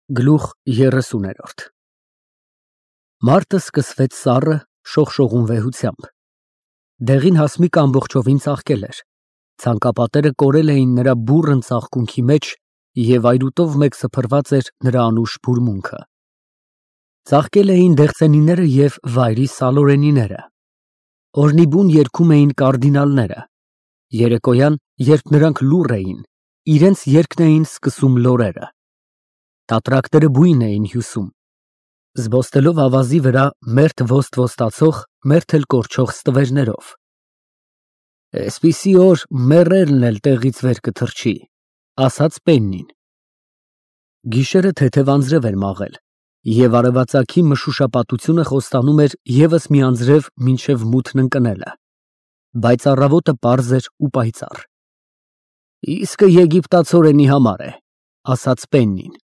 Գլուխ 30-րդ Մարտը սկսվեց սառը, շողշողուն վեհությամբ։ Դեղին հասմիկը ամբողջովին ծաղկել էր, ցանկապատերը կորել էին նրա բուռն ծաղկունքի մեջ և այրուտով մեկ սփռված էր նրա անուշ բուրմունքը։ Ծաղկել էին դեղցենիները և վայրի սալորենիները։ Օրհնիբուն երգում էին կարդինալները։ Երեկոյան, երբ նրանք լուռ էին, իրենց երգն էին սկսում լորերը։ Տատրակները բույն էին հյուսում, զբոսնելով ավազի վրա մերթ ոստ֊ոստացող, մերթ էլ կորչող ստվերներով։ Էսպիսի օր մեռելն էլ տեղից վեր կթռչի, ասաց Պեննին։ Գիշերը թեթև անձրև էր մաղել, և արևածագի մշուշապատությունը խոստանում էր ևս մի անձրև մինչև մութն ընկնելը, բայց առավոտը պարզ էր ու պայծառ։ Իսկը եգիպտացորենի համար է, ասաց Պեննին։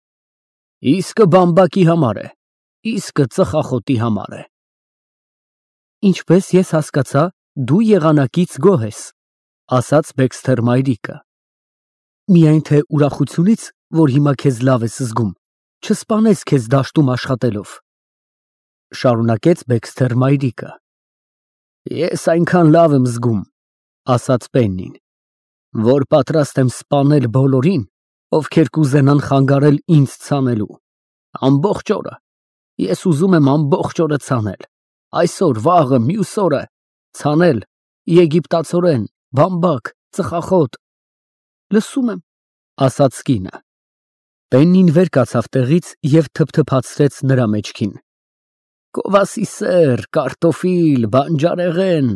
Իսկը բամբակի համար է, իսկը ծխախոտի համար է։ Ինչպես ես հասկացա, դու եղանակից գոհ ես, ասաց Բեքսթեր մայրիկը։ Միայն թե ուրախությունից, որ հիմա քեզ լավ ես զգում, չսպանես քեզ դաշտում աշխատելով, շարունակեց Բեքսթեր մայրիկը։ Ես այնքան լավ եմ զգում, ասաց Պեննին, որ պատրաստ եմ սպանել բոլորին, ովքեր կուզենան խանգարել ինձ ցանելու, ամբողջ օրը, ես ուզում եմ ամբողջ օրը ցանել, այսօր, վաղը, մյուս օրը, ցանել, եգիպտացորեն, բամբակ, ծխախոտ։ Լսում եմ, ասաց կինը։ Պեննին վեր կացավ տեղից և թփթփացրեց նրա մեջքին։ Գովասի սեր, կարտոֆիլ, բանջարեղեն։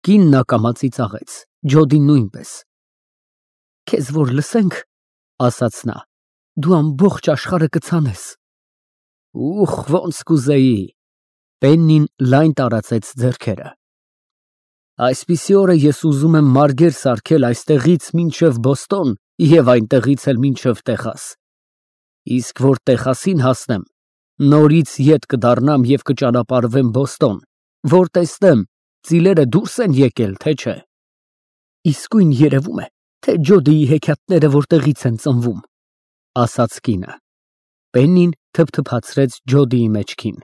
Կինն ակամա ծիծաղեց, Ջոդին նույնպես։ Քեզ որ լսենք, ասաց նա, դու ամբողջ աշխարհը կցանես։ Ուխ, ոնց կուզեի։ Պեննին լայն տարածեց ձեռքերը։ Այսպիսի օրը ես ուզում եմ մարգեր սարքել այստեղից մինչև Բոստոն և այնտեղից էլ մինչև Տեխաս։ Իսկ որ Տեխասին հասնեմ, նորից ետ կդառնամ և կճանապարհվեմ Բոստոն, որ տեսնեմ, ծիլերը դուրս են եկել, թե չէ։ Իսկույն երևում է, թե Ջոդիի հեքիաթները որտեղից են ծնվում, ասաց կինը։ Պեննին թփթփացրեց Ջոդիի մեջքին։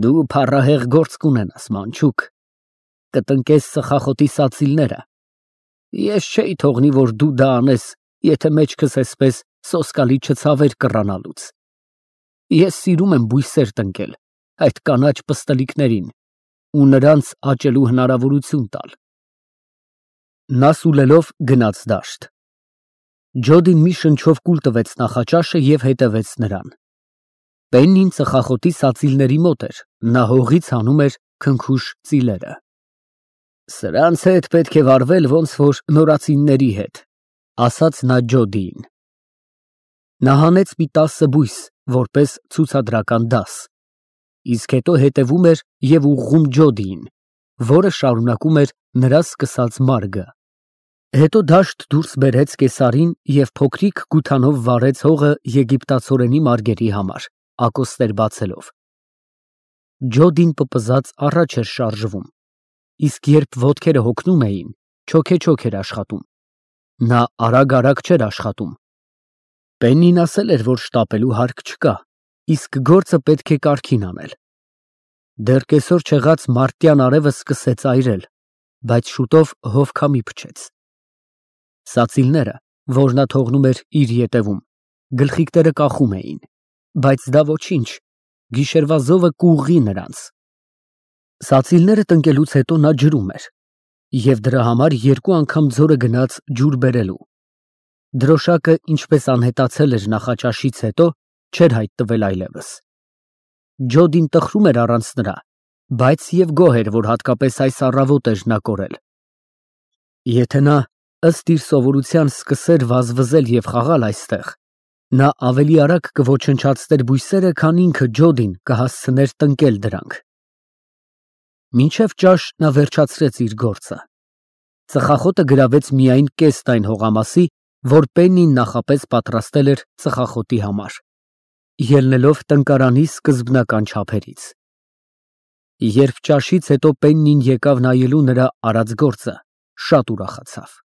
Դու փառահեղ գործ կունենաս, մանչուկ, կտնկես ծխախոտի սածիլները։ Ես չէի թողնի, որ դու դա անես, եթե մեջքս էսպես սոսկալի չցավեր կռանալուց։ Ես սիրում եմ բույսեր տնկել, այդ կանաչ պստլիկներին, ու նրանց աճելու հնարավորություն տալ։ Նա սուլելով գնաց դաշտ։ Ջոդին մի շնչով կուլ տվեց նախաճաշը և հետևեց նրան։ Պեննին ծխախոտի սածիլների մոտ էր, նա հողից հանում էր քնքուշ ծիլերը։ Սրանց հետ պետք է վարվել ոնց որ նորածինների հետ, ասաց նա Ջոդիին։ Նա հանեց մի 10 բույս, որպես ցուցադրական դաս, իսկ հետո հետևում էր և ուղղում Ջոդիին, որը շարունակում էր նրա սկսած մարգը։ Հետո դաշտ դուրս բերեց կեսարին և փոքրիկ գութանով վառեց հողը եգիպտացորենի մարգերի համար, ակոստեր բացելով։ Ջոդին պպզած առաջ էր շարժվում, իսկ երբ ոտքերը հոգնում էին, չոքեչոք էր աշխատում։ Նա արագ չէր աշխատում։ Պեննին ասել էր, որ շտապելու հարկ չկա, իսկ գործը պետք է կարգին անել։ Դեռ կեսօր չեղած մարտյան արևը սկսեց այրել, բայց շուտով հով քամի փչեց։ Սածիլները, որ նա թողնում էր իր ետևում, գլխիկները կախում էին, բայց դա ոչինչ, գիշերվա զովը կուղղի նրանց։ Սածիլները տնկելուց հետո նա ջրում էր, և դրա համար 2 անգամ ձորը գնաց ջուր բերելու։ Դրոշակը, ինչպես անհետացել էր նախաճաշից հետո, չէր հայտնվել այլևս։ Ջոդին տխրում էր առանց նրա, բայց և գոհ էր, որ հատկապես այս առավոտ էր նա կորել։ Եթե նա ըստ իր սովորության սկսեր վազվզել և խաղալ այստեղ, նա ավելի արագ կոչնչացներ բույսերը, քան ինքը Ջոդին կհասցներ տնկել դրանք։ Մինչև ճաշ նա վերջացրեց իր գործը։ Ծխախոտը գրավեց միայն կեսն այն հողամասի, որ Պեննին նախապես պատրաստել էր ծխախոտի համար, ելնելով տնկարանի սկզբնական չափերից։ Երբ ճաշից հետո Պեննին եկավ նայելու նրա արած գործը, շատ ուրախացավ։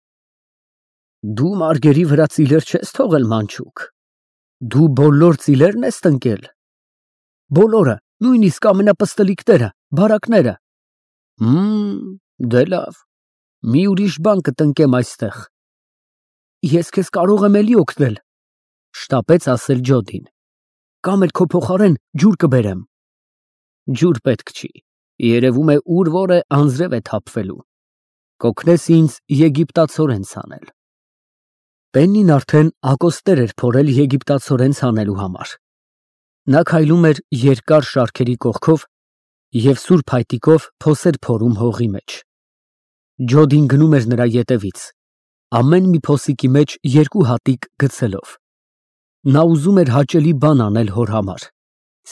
Դու մարգերի վրա ծիլեր չես թողել, մանչուկ։ Դու բոլոր ծիլերն ես տնկել։ Բոլորը, նույնիսկ ամենապստլիկները, բարակները։ Դե լավ, մի ուրիշ բան կտնկեմ այստեղ։ Ես քեզ կարող եմ էլի օգնել, շտապեց ասել Ջոդին։ Կամ էլ քո փոխարեն ջուր կբերեմ։ Ջուր պետք չի, երևում է ուր որ է անձրև է թափվելու։ Կօգնես ինձ եգիպտացորեն ցանել։ Պեննին արդեն ակոստեր էր փորել եգիպտացորեն ցանելու համար։ Նա քայլում էր երկար շարքերի կողքով և սուրբ փայտիկով փոսեր փորում հողի մեջ։ Ջոդին գնում էր նրա ետևից, ամեն մի փոսիկի մեջ 2 հատիկ գցելով։ Նա ուզում էր հաճելի բան անել հոր համար,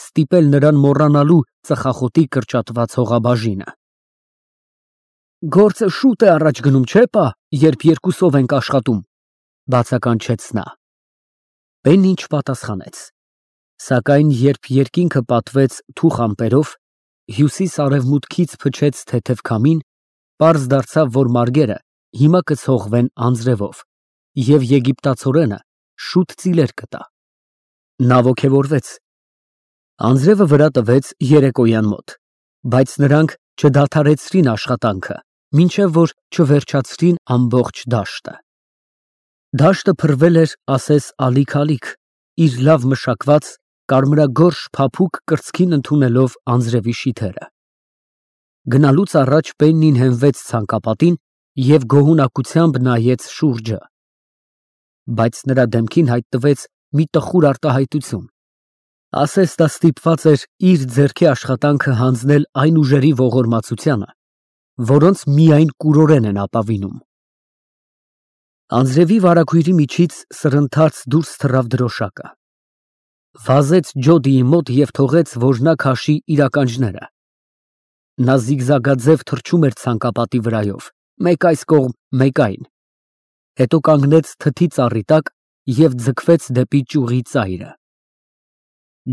ստիպել նրան մոռանալու ծխախոտի կրճատված հողաբաժինը։ Գործը շուտ է առաջ գնում, չէ՞ պա, երբ երկուսով ենք աշխատում, բացականչեց նա։ Պեննին չպատասխանեց, սակայն երբ երկինքը պատվեց թուխ ամպերով, հյուսիս֊արևմուտքից փչեց թեթև քամին, պարզ դարձավ, որ մարգերը հիմա կցողվեն անձրևով, և եգիպտացորենը շուտ ծիլեր կտա։ Նա ոգևորվեց։ Անձրևը վրա տվեց երեկոյան մոտ, բայց նրանք չդադարեցրին աշխատանքը, մինչև որ չվերջացրին ամբողջ դաշտը։ Դաշտը փռվել էր, ասես ալիք-ալիք, իր լավ մշակված, կարմրագորշ փափուկ կրծքին ընդունելով անձրևի շիթերը։ Գնալուց առաջ Պեննին հենվեց ցանկապատին և գոհունակությամբ նայեց շուրջը։ Բայց նրա դեմքին հայտնվեց մի տխուր արտահայտություն, ասես նա ստիպված էր իր ձեռքի աշխատանքը հանձնել այն ուժերի ողորմածությանը, որոնց միայն կուրորեն են ապավինում։ Անձրևի վարագույրի միջից սրընթաց դուրս թռավ դրոշակը։ Վազեց Ջոդիի մոտ և թողեց, որ նա քաշի իր ականջները։ Նա զիգզագաձև թռչում էր ցանկապատի վրայով, մեկ այս կողմ, մեկ այն, հետո կանգնեց թթի ծառի տակ և ձգվեց դեպի ճյուղի ծայրը։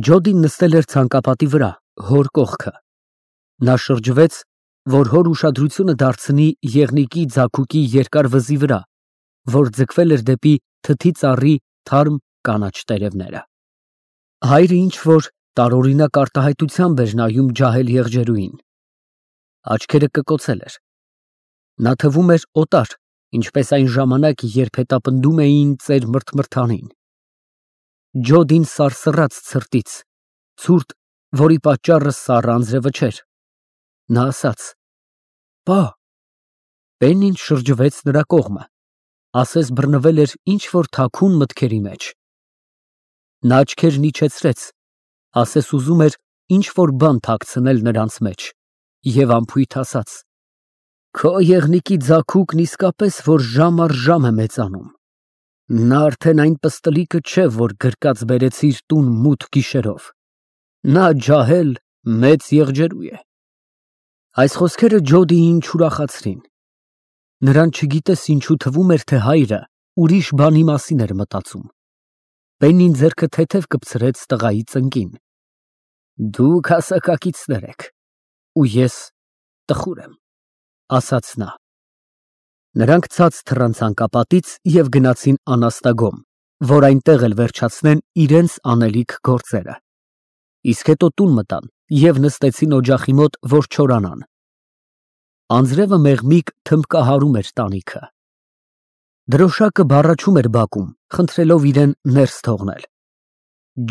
Ջոդին նստել էր ցանկապատի վրա, հոր կողքը։ Նա շրջվեց, որ հոր ուշադրությունը դարձնի եղնիկի ձագուկի երկար վզի վրա, որ ձգվել էր դեպի թթի ծառի թարմ կանաչ տերևները։ Հայրը ինչ-որ տարօրինակ արտահայտությամբ էր նայում ջահել եղջերուին։ Աչքերը կկոցել էր։ Նա թվում էր օտար, ինչպես այն ժամանակ, երբ հետապնդում էին ծեր մրթմրթանին։ Ջոդին սարսռաց ցրտից, ցուրտ, որի պատճառը սառը անձրևը չէր։ Նա ասաց. «Պա»։ Պեննին շրջվեց նրա կողմը, ասես բռնվել էր ինչ֊որ թաքուն մտքերի մեջ։ Նա աչքերն իջեցրեց, ասես ուզում էր ինչ֊որ բան թաքցնել նրանց մեջ, և անփույթ ասաց. «Քո եղնիկի ձագուկն իսկապես որ ժամ առ ժամ է մեծանում։ Նա արդեն այն պստլիկը չէ, որ գրկած բերեցիր տուն մութ գիշերով։ Նա ջահել մեծ եղջերու է»։ Այս խոսքերը Ջոդիին չուրախացրին։ Նրան չգիտես ինչու թվում էր, թե հայրը ուրիշ բանի մասին էր մտածում։ Պեննին ձեռքը թեթև կպցրեց տղայի ծնկին։ Դուք հասակակիցներ եք, ու ես տխուր եմ, ասաց նա։ Նրանք ցած թռան ցանկապատից և գնացին անաստագոմ, որ այնտեղ էլ վերջացնեն իրենց անելիք գործերը։ Իսկ հետո տուն մտան և նստեցին օջախի մոտ, որ չորանան։ Անձրևը մեղմիկ թմբկահարում էր տանիքը։ Դրոշակը բառաչում էր բակում, խնդրելով իրեն ներս թողնել։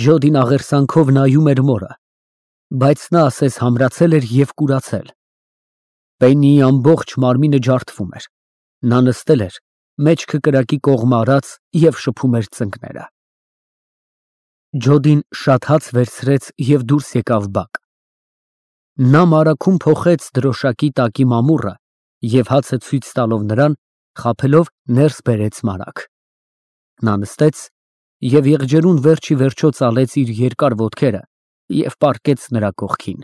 Ջոդին աղերսանքով նայում էր մորը, բայց նա ասես համրացել էր և կուրացել։ Պեննիի ամբողջ մարմինը ջարդվում էր։ Նա նստել էր, մեջքը կրակի կողմը արած և շփում էր ծնկները։ Ջոդին շատ հաց վերցրեց և դուրս եկավ բակ։ Նա մարագում փոխեց դրոշակի տակի մամուռը և հացը ցույց տալով նրան, խաբելով ներս բերեց մարագ։ Նա նստեց և եղջերուն վերջ ի վերջո ծալեց իր երկար ոտքերը և պառկեց նրա կողքին։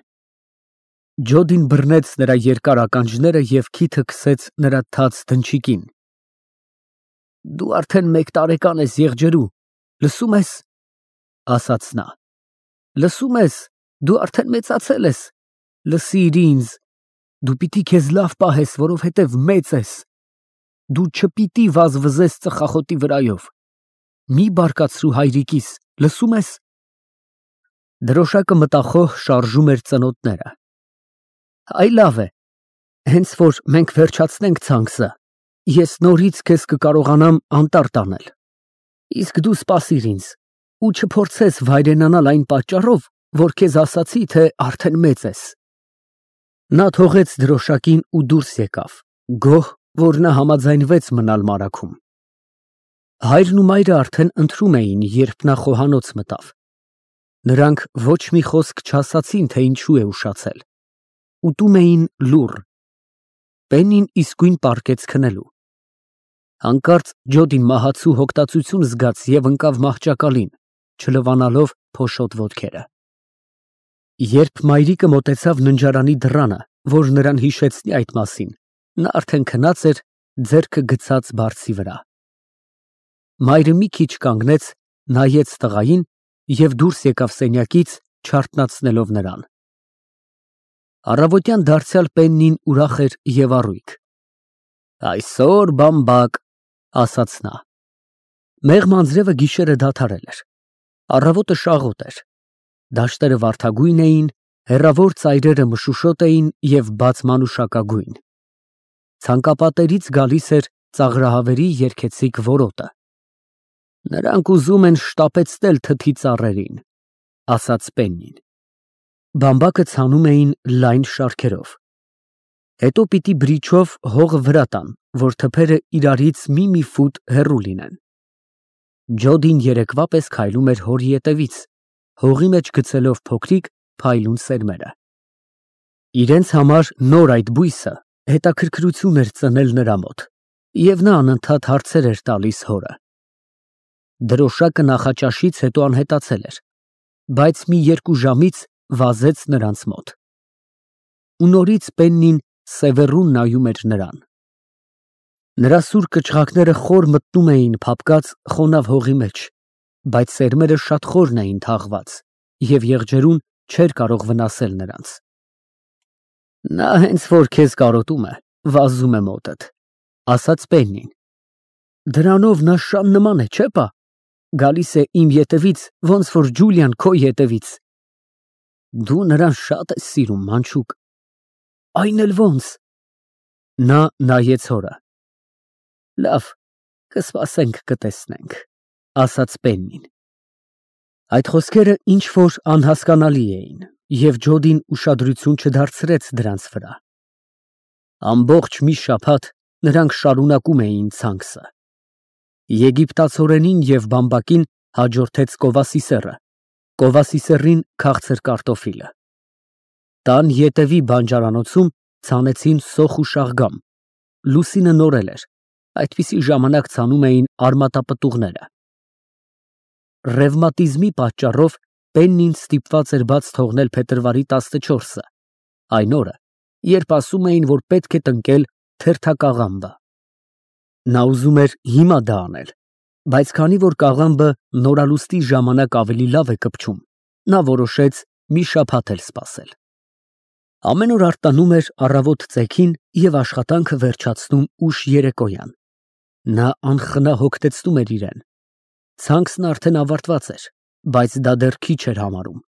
Ջոդին բռնեց նրա երկար ականջները և քիթը քսեց նրա թաց դնչիկին։ Դու արդեն 1 տարեկան ես, եղջերու, լսո՞ւմ ես, ասաց նա։ Լսո՞ւմ ես, դու արդեն մեծացել ես, լսիր ինձ, դու պիտի քեզ լավ պահես, որովհետև մեծ ես, դու չպիտի վազվզես ծխախոտի վրայով։ մի բարկացրու հայրիկիս, լսում ես։ Դրոշակը մտախոհ շարժում էր ծնոտները։ Այ լավ է, հենց որ մենք վերջացնենք ցանքսը, ես նորից քեզ կկարողանամ անտառ տանել։ Իսկ դու սպասիր ինձ ու չփորձես վայրենանալ այն պատճառով, որ քեզ ասացի, թե արդեն մեծ ես։ Նա թողեց դրոշակին ու դուրս եկավ, գոհ, որ նա համաձայնվեց մնալ մարաքում։ Հայրն ու մայրը արդեն ընթրում էին, երբ նա խոհանոց մտավ։ Նրանք ոչ մի խոսք չասացին, թե ինչու է ուշացել։ Ուտում էին լուռ։ Պեննին իսկույն պառկեց քնելու։ Հանկարծ Ջոդին մահացու հոգտացություն զգաց և ընկավ մահճակալին, չլվանալով փոշոտ ոտքերը։ Երբ մայրիկը մոտեցավ ննջարանի դռանը, որ նրան հիշեցնի այդ մասին, նա արդեն քնած էր, ձեռքը գցած բարձի վրա։ Մայրը մի քիչ կանգնեց, նայեց տղային և դուրս եկավ սենյակից, չարթնացնելով նրան։ Առավոտյան դարձյալ Պեննին ուրախ էր և առույգ։ Այսօր բամբակ, ասաց նա։ Մեղմ անձրևը գիշերը դադարել էր։ Առավոտը շաղոտ էր։ Դաշտերը վարդագույն էին, հեռավոր ծայրերը մշուշոտ էին և բաց մանուշակագույն։ Ցանկապատերից գալիս էր ծաղրահավերի երգեցիկ որոտը։ Նրանք ուզում են շտապեցնել թթի ծառերին, ասաց Պեննին։ Բամբակը ցանում էին լայն շարքերով։ Հետո պիտի բրիչով հողը վրա տան, որ թփերը իրարից մի ֆուտ հեռու լինեն։ Ջոդին երեկվա պես քայլում էր հորի ետևից, հողի մեջ գցելով փոքրիկ փայլուն սերմերը։ Իրենց համար նոր այդ բույսը հետաքրքրություն էր ծնել նրա մոտ, և նա անընդհատ հարցեր էր տալիս հորը։ Դրոշակը նախաճաշից հետո անհետացել էր, բայց մի 2 ժամից վազեց նրանց մոտ։ Ու նորից Պեննին սևեռուն նայում էր նրան։ Նրա սուր կչղակները խոր մտնում էին փափկած խոնավ հողի մեջ, բայց սերմերը շատ խորն էին թաղված, և եղջերուն չէր կարող վնասել նրանց։ Նա հենց որ քեզ կարոտում է, վազում է մոտդ, ասաց Պեննին։ Դրանով նա շան նման է, չէ՞ պա։ Գալիս է իմ ետևից, ոնց որ Ջուլիան քո ետևից։ Դու նրան շատ ես սիրում, մանչուկ։ Այն էլ ոնց։ Նա նայեց հորը։ Լավ, կսպասենք կտեսնենք, ասաց Պեննին։ Այդ խոսքերը ինչ որ անհասկանալի էին, և Ջոդին ուշադրություն չդարձրեց դրանց վրա։ Ամբողջ մի շաբաթ նրանք շարունակում էին ցանքսը։ Եգիպտացորենին և բամբակին հաջորդեց կովասիսեռը, կովասիսեռին քաղցր կարտոֆիլը։ Տան ետևի բանջարանոցում ցանեցին սոխ ու շաղգամ, լուսինը նորել էր, այդպիսի ժամանակ ցանում էին արմատապտուղները։ Ռևմատիզմի պատճառով Պեննին ստիպված էր բաց թողնել փետրվարի 14-ը, այն օրը, երբ ասում էին, որ պետք է տնկել թերթակաղամբը։ Նա ուզում էր հիմա դա անել, բայց քանի որ կաղամբը նորալուստի ժամանակ ավելի լավ է կպչում, նա որոշեց մի շաբաթ էլ սպասել։ Ամեն օր արտանում էր առավոտ ծեքին և աշխատանքը վերջացնում ուշ երեկոյան։ Նա անխնա հոգտեցնում էր իրեն։ Ցանքսն արդեն ավարտված էր, բայց դա դեռ քիչ էր համարում։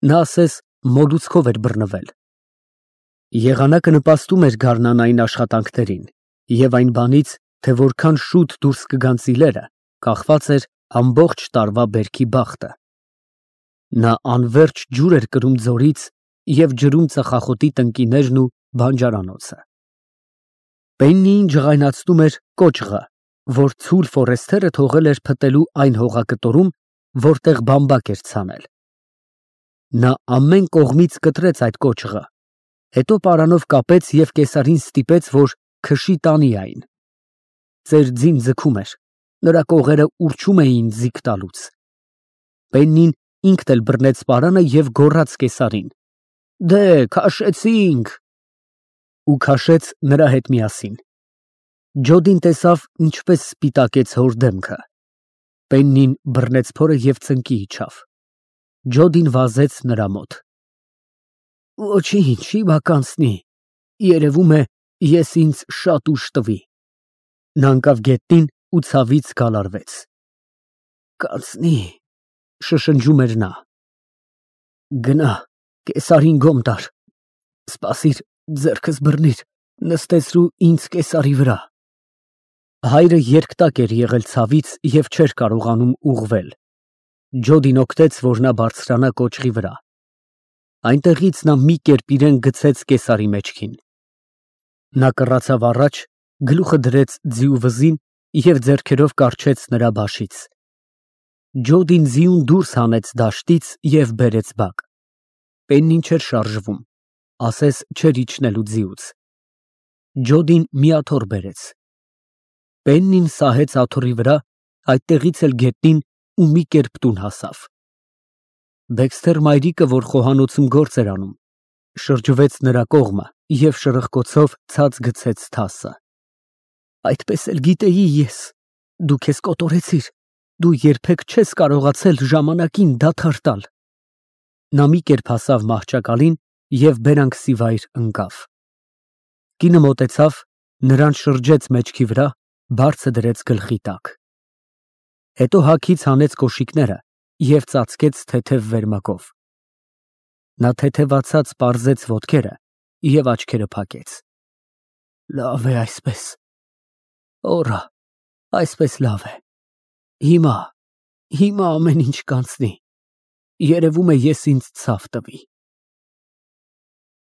Նա ասես մոլուցքով էր բռնվել։ Եղանակը նպաստում էր գարնանային աշխատանքներին, և այն բանից, թե որքան շուտ դուրս կգան ծիլերը, կախված էր ամբողջ տարվա բերքի բախտը։ Նա անվերջ ջուր էր կրում ձորից և ջրում ծխախոտի տնկիներն ու բանջարանոցը։ Պեննիին ջղայնացնում էր կոճղը, որ ցուլ Ֆորեսթերը թողել էր փտելու այն հողակտորում, որտեղ բամբակ էր ցանել։ Նա ամեն կողմից կտրեց այդ կոճղը, հետո պարանով կապեց և կեսարին ստիպեց, որ քշի տանի այն։ Ծեր ձին ձգում էր, նրա կողերը ուռչում էին ձիգ տալուց։ Պեննին ինքն էլ բռնեց պարանը և գոռաց կեսարին. Դե, քաշեցինք։ Ու քաշեց նրա հետ միասին։ Ջոդին տեսավ, ինչպես սպիտակեց հոր դեմքը։ Պեննին բռնեց փորը և ծնկի իջավ։ Ջոդին վազեց նրա մոտ։ Ոչինչ, չի բականցնի, երևում է, ես ինձ շատ ուժ տվի։ Նա ընկավ գետնին ու ցավից գալարվեց։ Կանցնի, շշնջում էր նա։ Գնա, կեսարին գոմ տար, սպասիր, ձեռքս բռնիր, նստեցրու ինձ կեսարի վրա։ Հայրը երկտակ էր եղել ցավից և չէր կարողանում ուղղվել։ Ջոդին օգնեց, որ նա բարձրանա կոճղի վրա։ Այնտեղից նա մի կերպ իրեն գցեց կեսարի մեջքին։ Նա կռացավ առաջ, գլուխը դրեց ձիու վզին և ձեռքերով կառչեց նրա բաշից։ Ջոդին ձիուն դուրս հանեց դաշտից և բերեց բակ։ Պեննին չէր շարժվում, ասես չէր իջնելու ձիուց։ Ջոդին մի աթոռ բերեց։ Պեննին սահեց աթոռի վրա, այդտեղից էլ գետնին ու մի կերպ տուն հասավ։ Դեքսթեր մայրիկը, որ խոհանոցում գործ էր անում, շրջվեց նրա կողմը և շրխկոցով ցած գցեց թասը։ Այդպես էլ գիտեի ես, դու քեզ կոտորեցիր, դու երբեք չես կարողացել ժամանակին դադար տալ։ Նա մի կերպ հասավ մահճակալին և բերանքսիվայր ընկավ։ Կինը մոտեցավ, նրան շրջեց մեջքի վրա, բարձը դրեց գլխի տակ։ Հետո հագից հանեց կոշիկները և ծածկեց թեթև վերմակով։ Նա թեթևացած պարզեց ոտքերը և աչքերը փակեց։ Լավ է այսպես։ Օռա, այսպես լավ է։ Հիմա ամեն ինչ կանցնի։ Երևում է ես ինձ ցավ տվի։